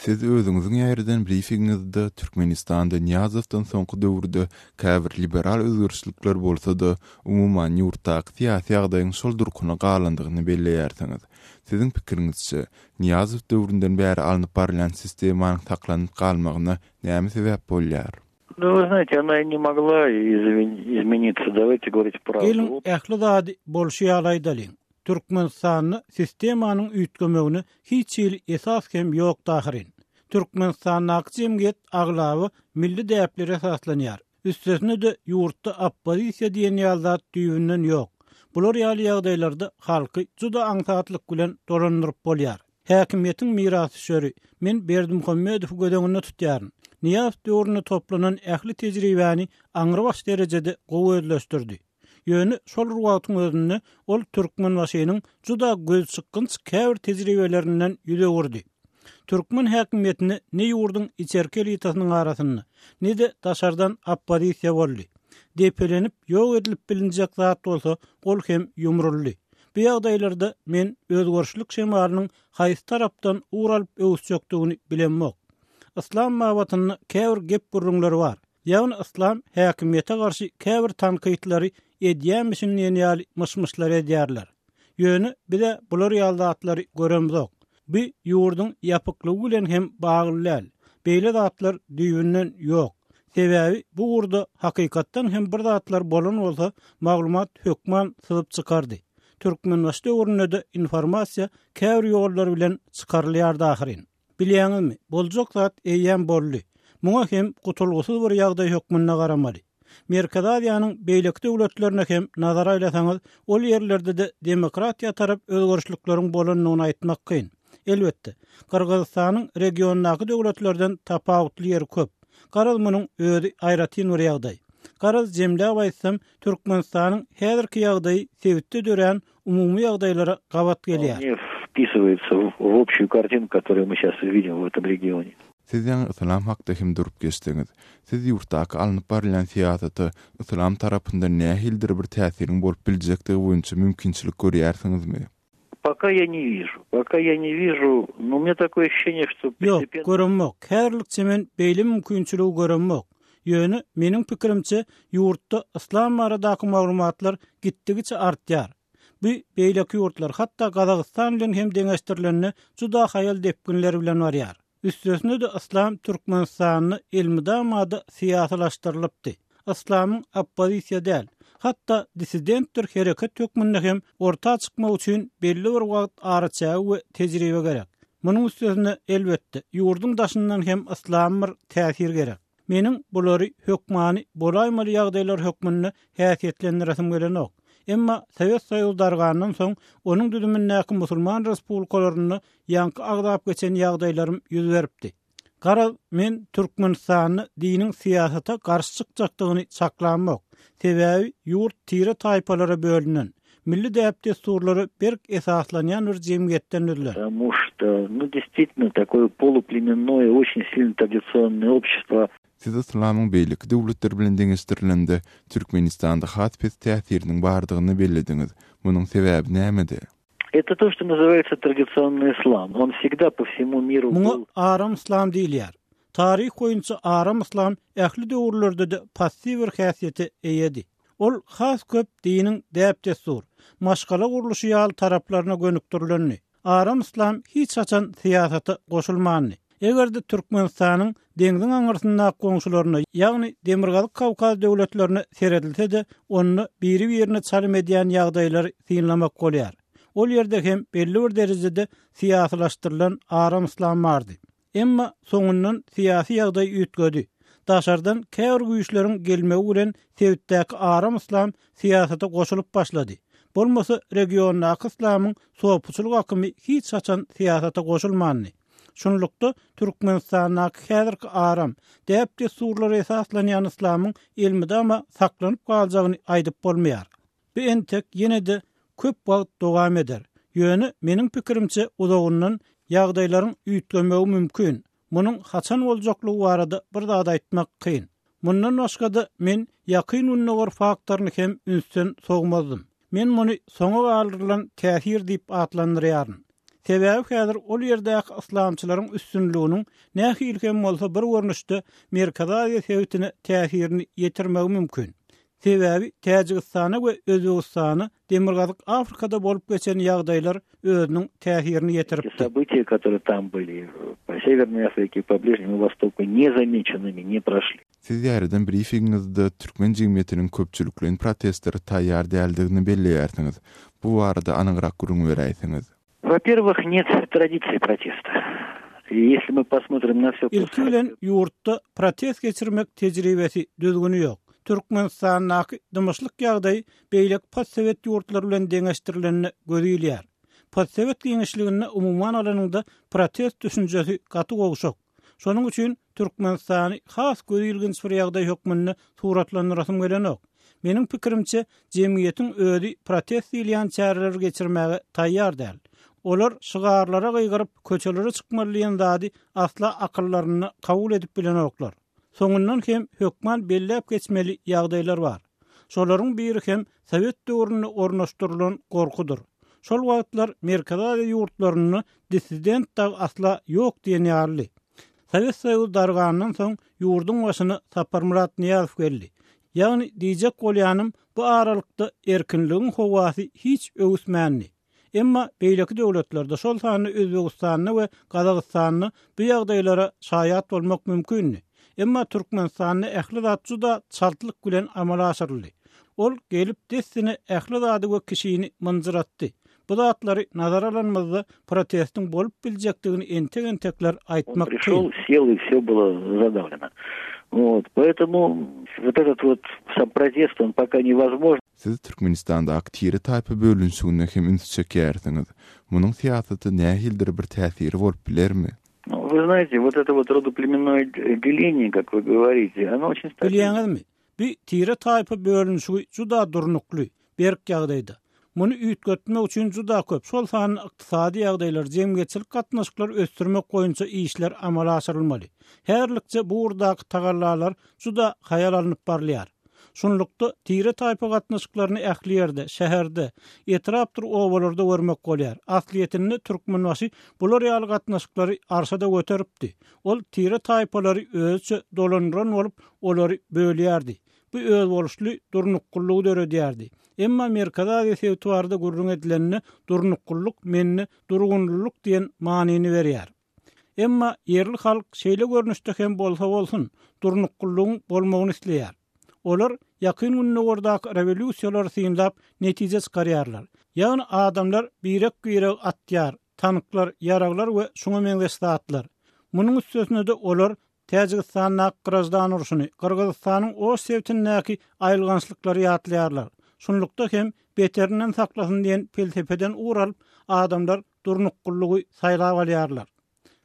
Siz özüňiziň ýaýradan brifingiňizde Türkmenistanda Nyýazowdan soňky döwürde käbir liberal özgerişlikler bolsa-da, umuman ýurtdaky syýasy ýagdaýyň şol durkuna galandygyny belleýärsiňiz. Siziň pikiriňizçe, Nyýazow döwründen bäri alnyp barylýan sistemanyň saklanyp galmagyna näme sebäp bolýar? Ну, вы знаете, она и не могла измениться, давайте говорить правду. Geliň, ähli zady bolşy ýaly aýdalyň. Türkmenistanda sistemanyň üýtgemegine hiç hili esas hem ýokdy ahyryn. Türkmenistandaky jemgyýet aglaba milli däplere esaslanýar. Üstesine-de ýurtda oppozisiýa diýen ýaly zat düýbünden ýok. Bular ýaly ýagdaýlarda halky juda aňsatlyk bilen dolandyryp bolýar. Häkimiýetiň mirasdüşeri, men Berdimuhamedowy göz öňünde tutýaryn. Nyýazow döwründe toplanan ähli tejribäni aňrybaş derejede gowy özleşdirdi. Ýöne şol bir wagtyň özünde ol Türkmenbaşynyň juda gözçykgynç käbir tejribelerinden ýüz öwürdi. Türkmen häkimiýetinde ne ýurduň içerki elitasynyň arasynda, ne-de daşardan oppozisiýa boldy. Depelenip ýok edilip bilinjek zat bolsa, ol hem ýumruldy. Bu ýagdaýlarda men özgerişlik şemalynyň haýsy tarapdan ugur alyp öwüsjekdigini bilemok. Yslam babatynda käbir gep-gürrüňler bar. Ýagny yslam häkimiýete garşy käbir tankytlary edýämişin diýen ýaly myş-myşlar edýärler. Ýöne biz-ä bular ýaly zatlary göremzok. Bu ýurduň ýapyklygy bilen hem bagly däl. Beýle zatlar düýbünden ýok. Sebäbi bu ugurda hakykatdan hem bir zatlar bolan bolsa, maglumat hökman syzyp çykardy. Türkmenbaşy döwründe-de informasiýa käbir ýollar bilen çykarylýardy ahyryn. Bilýäňizmi, boljak zat eýýäm boldy. Muňa hem gutulgysyz bir ýagdaý hökmünde garamaly. Merkezi Aziýanyň beýleki döwletlerine hem nazar aýlasaňyz, ol ýerlerde-de demokratiýa tarap özgerişlikleriň bolandygyny aýtmak kyn. Elbetde, Gyrgyzystanyň regiondaky döwletlerden tapawutly ýeri köp. Garaz, munuň özi aýratyn bir ýagdaý. Garaz, jemläp aýtsam, Türkmenistanyň häzirki ýagdaýy sebitde dörän umumy ýagdaýlara gabat gelýär. Вполне вписывается в общую картину, которую мы сейчас видим в этом регионе. Siz ýaňy yslam hakda hem durup geçdiňiz. Siz ýurtdaky alnyp barylýan syýasata yslam tarapyndan nähilidir bir täsiriň bolup biljekdigi boýunça mümkinçilik görýärsiňizmi? Пока я не вижу. Пока я не вижу, но у меня такое ощущение, что Ýok, göremok. Häzirlikçe men beýle mümkinçiligi göremok. Ýöne, meniň pikirimçe, ýurtda yslam baradaky maglumatlar gitdigiçe artýar. Bu beýleki ýurtlar, hatda Gazagystan bilen hem deňeşdirilende juda haýal depginler bilen barýar. Üstesine-de yslam Türkmenistanda elmydama-da syýasylaşdyrylypdy. Yslamyň oppozisiýa däl, hatda dissidentdir hereket hökmünde hem orta çykmagy üçin belli bir wagt araçägi we tejribe gerek. Munuň üstesine, elbetde, ýurduň daşyndan hem yslama bir täsir gerek. Meniň bulary hökmany bolaýmaly ýagdaýlar hökmünde häsiýetlendiresim gelenok. Emma Sowet Soýuzy dargandan soň, onuň düzümindäki musulman respublikalarynda ýaňky agzap geçen ýagdaýlarym ýüz beripdi. Garaz, men Türkmenistanda diniň syýasata garşy çykjakdygyny çaklamok. Sebäbi ýurt tire-taýpalara bölünen, milli däp-dessurlara berk esaslanýan bir jemgyýetden düzülen. Потому что, ну, действительно, такое полуплененное, очень сильно традиционное общество. Siz yslamyň beýleki döwletler bilen deňeşdirilende, Türkmenistanda has pes täsiriniň bardygyny bellediňiz. Munuň sebäbi nämede? Это то, что называется традиционный ислам. Он всегда по всему миру Muňa был. aram yslam diýilýär. Taryh boýunça aram yslam ähli döwürlerde-de passiw bir häsiýete eýedi. Ol has köp diniň däp-dessur, maşgala gurluşy ýaly taraplaryna gönükdirilendi. Aram yslam hiç haçan syýasata goşulmandy. Eger-de Türkmenistanyň deňziň aňyrsyndaky goňşularyna, ýagny Demirgazyk Kawkaz döwletlerine seredilse-de, onda biri-birine çalym edýän ýagdaýlary synlamak bolýar. Ol ýerde hem belli bir derejede syýasylaşdyrylan aram yslam bardy. Emma soňundan syýasy ýagdaý üýtgedi. Daşardan käbir güýçleriň gelmegi bilen sebitdäki aram yslam syýasata goşulyp başlady. Bolmasa regiondaky yslamyň sopuçylyk akymy hiç haçan syýasata goşulmandy. Şunlukda, Türkmenistandaky häzirki aram, däp-dessurlara esaslanýan yslamyň elmydama saklanyp galjagyny aýdyp bolmaýar. Bu entek ýene-de köp wagt dowam eder. Ýöne, meniň pikirimçe, uzagyndan ýagdaýlaryň üýtgemegi mümkin. Munuň haçan boljaklygy barada bir zat aýtmak kyn. Mundan başga-da, men Ýakyn Gündogar faktoryny hem ünsden sowmazdym. Men muny soňa galdyrylan täsir diýip atlandyrýaryn. Sebäbi häzir ol ýerdäki yslamçylaryň üstünliginiň nähili hem bolsa bir görnüşde Merkezi Aziýa sebitine täsirini ýetirmegi mümkin. Sebäbi Täjigistana we Özbegistana Demirgazyk Afrikada bolup geçen ýagdaýlar özüniň täsirini ýetiripdi. События, которые там были по Северной Африке, по Ближнему Востоку, незамеченными не прошли. Siz ýaýradan brifingiňizde türkmen jemgyýetiniň köpçülikleýin protestlere taýýar däldigini belleýärsiňiz. Bu barada anygrak gürrüň beräýseňiz. Во-первых, нет традиции протеста. И если мы посмотрим на все Ilki bilen, ýurtda protest geçirmek tejribesi, düzgüni ýok. Türkmenistandaky dymyşlyk ýagdaýy beýleki postsowet ýurtlary bilen deňeşdirilende göz ilýär. Postsowet giňişliginde umuman alanyňda protest düşünjesi gaty gowşak. Şonuň üçin Türkmenistany has gözilginç bir ýagdaý hökmünde suratlandyrasym gelenok. Meniň pikirimçe, jemgyýetiň özi protest diýilýän çäreleri geçirmäge taýýar däl. Olar şygarlara gygyryp, köçelere çykmaly diýen zady asla akyllarynda kabul edip bilenoklar. Soňundan hem hökman belläp geçmeli ýagdaýlar bar. Şolaryň biri hem sowet döwründe ornaşdyrylan gorkudyr. Şol wagtlar Merkezi Aziýa ýurtlarynda dissident dagy asla ýok diýen ýalydy. Sowet Soýuzy dargandan soň ýurduň başyna Saparmyrat Nyýazow geldi. Ýagny diýjek bolýanym bu aralykda erkinligiň howasy hiç öwüsmändi. Emma beýleki döwletlerde, şol sanda Özbegistanda we Gazagystanda bu ýagdaýlara şaýat bolmak mümkindi. Emma Türkmenistanda ähli zat juda çaltlyk bilen amala aşyryldy. Ol gelip dessine ähli zady we kişini mynjyratdy. Bu zatlary nazara alanymyzda protestiň bolup biljekdigini entek-entekler aýtmak kyn. Prişel, sel i vse bylo zadawleno. Wot, poetomu wot etot wot sam protest on poka nevozmožn. Siz Türkmenistandaky tire-taýpa bölünişigine hem üns çekýärsiňiz. Munuň syýasata nähilidir bir täsiri bolup bilermi? Nu, вы знаете, вот это вот родоплеменное деление, как вы говорите, оно очень stabilno. Bilýäňizmi, Bu tire-taýpa bölünişigi juda durnukly, berk ýagdaýda. Muny üýtgetmek üçin juda köp, şol sanda ykdysady ýagdaýlar, jemgyýetçilik gatnaşyklary ösdürmek boýunça işler amala aşyrylmaly. Häzirlikçe bu ugurdaky tagallalar juda haýal alnyp barylýar. Şunlukda, tire-taýpa gatnaşyklaryny ähli ýerde, şäherde, etrapdyr obalarda görmek bolýar. Aslyýetinde Türkmenbaşy bular ýaly gatnaşyklary arşa-da göteripdi. Ol tire-taýpalary özüçe dolandyran bolup, olary bölýärdi. Bu özboluşly durnuklylygy döredýärdi. Emma Merkezi Aziýa sebiti barada gürrüň edilende, durnuklylyk mende durgunlylyk diýen manyny berýär. Emma ýerli halk şeýle görnüşde hem bolsa bolsun, durnuklylygyň bolmagyny isleýär. Olar Ýakyn Gündogardaky rewolýusiýalary synlap netije çykarýarlar. Ýagny adamlar birek-biregi atýar, tanklar, ýaraglar we şuňa meňzeş zatlar. Munuň üstesine-de olar Täjigistandaky graždan urşuny, Gyrgyzystanyň Oş sebitindäki aýylgançlyklary ýatlaýarlar. Şunlukda hem beterinden saklasyn diýen pelsepeden ugur alyp, adamlar durnuklylygy saýlap alýarlar.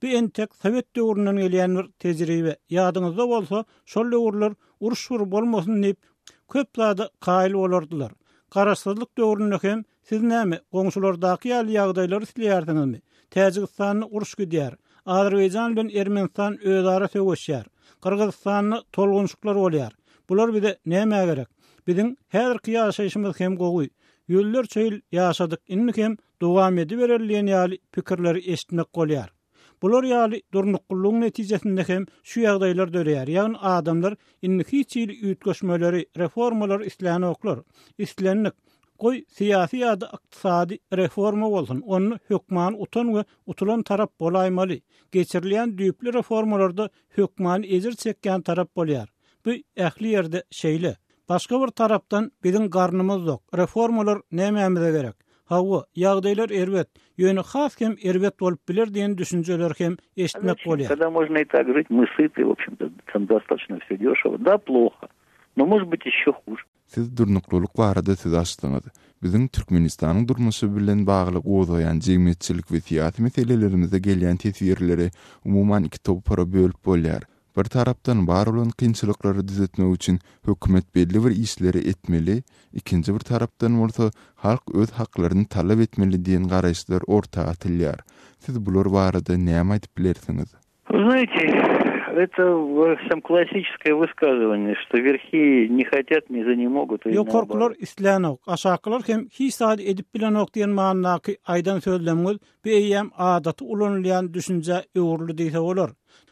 Bu entek sowet döwründen gelýän bir tejribe. Ýadyňyzda bolsa, şol döwürler uruş bir bolmasyn diýip, köp zada kaýyl bolardylar. Garaşsyzlyk döwründe hem Siz näme, goňşulardaky ýaly ýagdaýlary isleýärsiňizmi? Täjigistanda uruş gidýär. Azerbaýjan bilen Ermenistan özara söweşýär. Gyrgyzystanda tolgunşyklar bolýar. Bular bize nämä gerek? Biziň häzirki ýaşaýşymyz hem gowy. Ýüzlerçe ýyl ýaşadyk, indi hem dowam edibereli diýen ýaly pikirleri eşitmek bolýar. Bular ýaly durnuklylygyň netijesinde hem şu ýagdaýlar döreýär, ýagny adamlar indi hiç hili üýtgeşmeleri, reformalary islänoklar. Islendik, goý, syýasy ýa-da ykdysady reforma bolsun, onda hökmany utan we utulan tarap bolaýmaly. Geçirilýän düýpli reformalarda hökmany ejir çekýän tarap bolýar. Bu ähli ýerde şeýle. Başga bir tarapdan, biziň garnymyz dok, reformalar nämämize gerek? Hawa, ýagdaýlar erbet, ýöne has hem erbet bolup biler diýen düşünjeleri hem eşitmek bolýar. Когда можно и так жить, мы сыты, в общем-то, там достаточно все дешево. Да, плохо, но может быть еще хуже. Siz durnuklylyk barada söz açdyňyz. Biziň Türkmenistanyň durmuşy bilen bagly gozgaýan jemgyýetçilik we syýasy meselelerimize gelýän teswirleri umuman iki topara bölüp bolýar. Bir tarapdan bar bolan kynçylyklary düzetmek üçin hökümet belli bir işleri etmeli, ikinji bir tarapdan bolsa halk öz haklaryny talap etmeli diýen garaýyşlar orta atylýar. Siz bular barada näme aýdyp bilersiňiz? Вы знаете. Это сам классическое высказывание, что верхи не хотят, низы не могут. Ýokarkylar islänok, aşakylar hem hiç zat edip bilenok diýen manydaky aýdan sözlemiňiz bu eýýäm adaty ulanylýan düşünjä öwrüldi diýse bolar.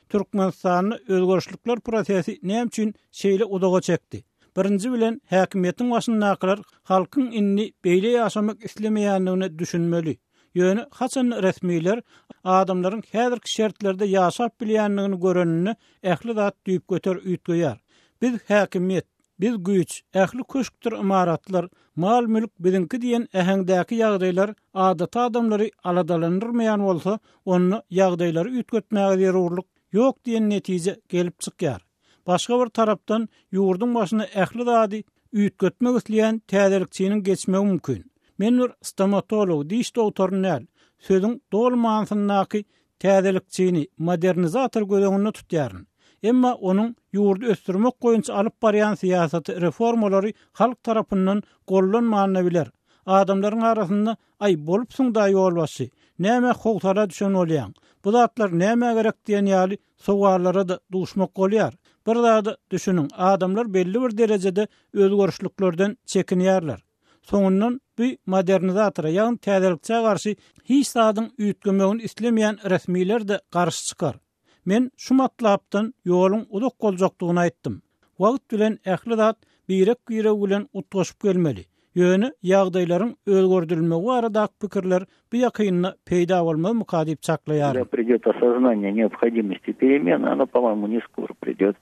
Türkmenistanda özgerişlikler prosesi näme üçin şeýle uzaga çekdi? Birinji bilen, häkimiýetiň başyndakylar halkyň indi beýle ýaşamak islemeýändigine düşünmeli. Ýöne haçanda resmiler adamlaryň häzirki şertlerde ýaşap bilýändigini göreninde ähli zat düýpgöter üýtgeýär. Biz häkimiýet, biz güýç, ähli köşkdür ymaratlar, mal-mülk biziňki diýen äheňdäki ýagdaýlar adaty adamlary aladalandyrmaýan bolsa, onda ýagdaýlary üýtgetmäge zerurlyk ýok diýen netije gelip çykýar. Başga bir tarapdan, ýurduň başyna ähli zady üýtgetmek isleýän täzelikçiniň geçmegi mümkin. Men bir stomatolog, diş dogtoryny däl, sözüň doly manysyndaky täzelikçini, modernizator göz öňünde tutýaryn. Emma onuň ýurdy ösdürmek boýunça alyp barýan syýasaty, reformalary halk tarapyndan gollanman-da biler. Adamlaryň arasynda Aý, bolupsyň-da ýolbaşçy, nämä howsala düşen bolýaň? Bu zatlar nämä gerek diýen ýaly sowallara-da duşmak bolýar. Bir zada düşüniň, adamlar belli bir derejede özgerişliklerden çekinýärler. Soňundan bu modernizatora, ýagny täzelikçä garşy hiç zadyň üýtgemegini islemeýän resmiler-de garşy çykar. Men şu matlapdan ýoluň uzak boljakdygyny aýtdym. Wagt bilen ähli zat birek-biregi bilen utgaşyp gelmeli. Ýöne ýagdaýlaryň özgerdilmegi baradaky pikirler bu ýakynda peýda bolmazmyka diýip çaklaýaryn. Когда придет осознание необходимости перемен, оно, по-моему, не скоро придет.